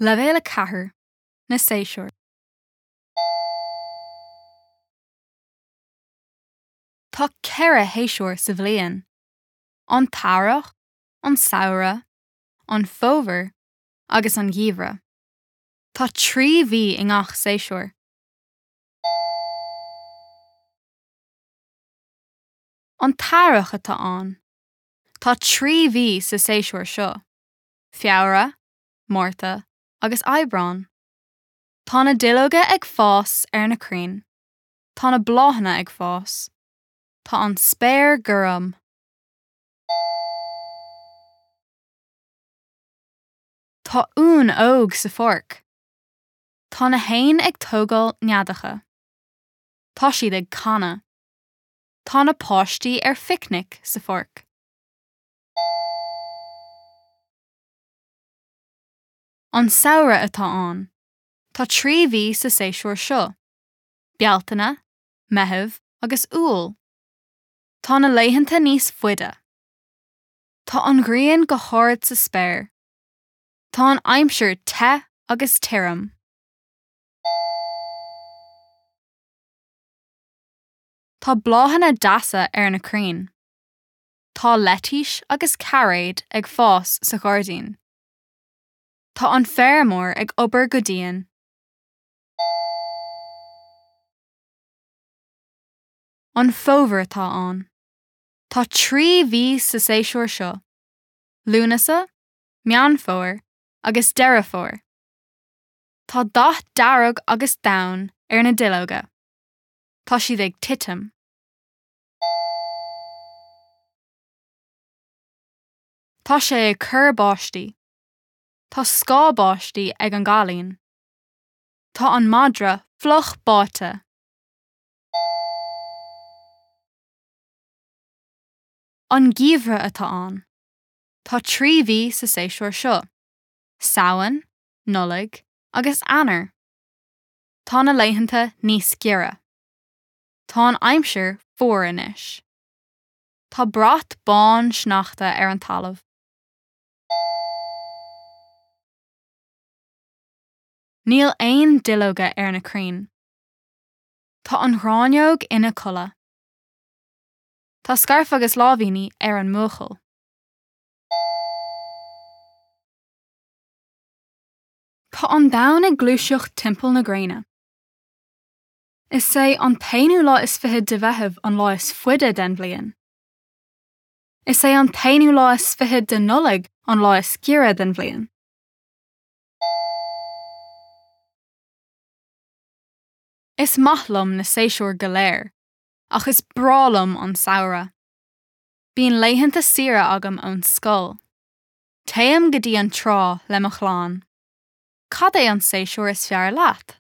Leibhéal 4, Na Séasúir. Tá 4 shéasúr sa bhliain, an t-earrach, an samhradh, an fómhar agus an geimhreadh. Tá 3 mhí i ngach séasúr. An t-earrach atá ann. Tá 3 mhí sa séasúr seo, Feabhra, Márta agus Aibreán. Tá na duilleoga ag fás ar na crainn. Tá na bláthanna ag fás. Tá an spéir gorm. Tá uan óg sa pháirc. Tá na héin ag tógáil neadacha. Tá siad ag canadh. Tá na páistí ar phicnic sa pháirc. An samhradh atá ann. Tá 3 mhí sa séasúr seo, Bealtaine, Meitheamh agus Iúil. Tá na laethanta níos faide. Tá an ghrian go hard sa spéir. Tá an aimsir te agus tirim. Tá bláthanna deasa ar na crainn. Tá leitís agus cairéid ag fás sa ghairdín. Tá an feirmeoir ag obair go dian. An fómhar atá ann. Tá 3 mhí sa séasúr seo, Lúnasa, Meán Fómhair agus Deireadh Fómhair. Tá dath dearg agus donn ar na duilleoga. Tá siad ag titim. Tá sé ag cur báistí. Tá scáth báistí ag an gcailín. Tá an madra fliuch báite. An geimhreadh atá ann. Tá 3 mhí sa séasúr seo, Samhain, Nollaig agus Eanáir. Tá na laethanta níos giorra. Tá an aimsir fuar anois. Tá brat bán sneachta ar an talamh. Níl aon duilleoga ar na crainn. Tá an ghráinneog ina codladh. Tá scairf agus láimhíní ar an mbuachaill. Tá an domhan ag gluaiseacht timpeall na gréine. Is é an t-aonú lá is fiche de Mheitheamh an lá is faide den bhliain. Is é an t-aonú lá is fiche de Nollaig an lá is giorra den bhliain. Is maith liom na séasúir go léir, ach is breá liom an samhradh. Bíonn laethanta saoire agam ón scoil. Téim go dtí an trá le mo chlann. Cad é an séasúr is fearr leat?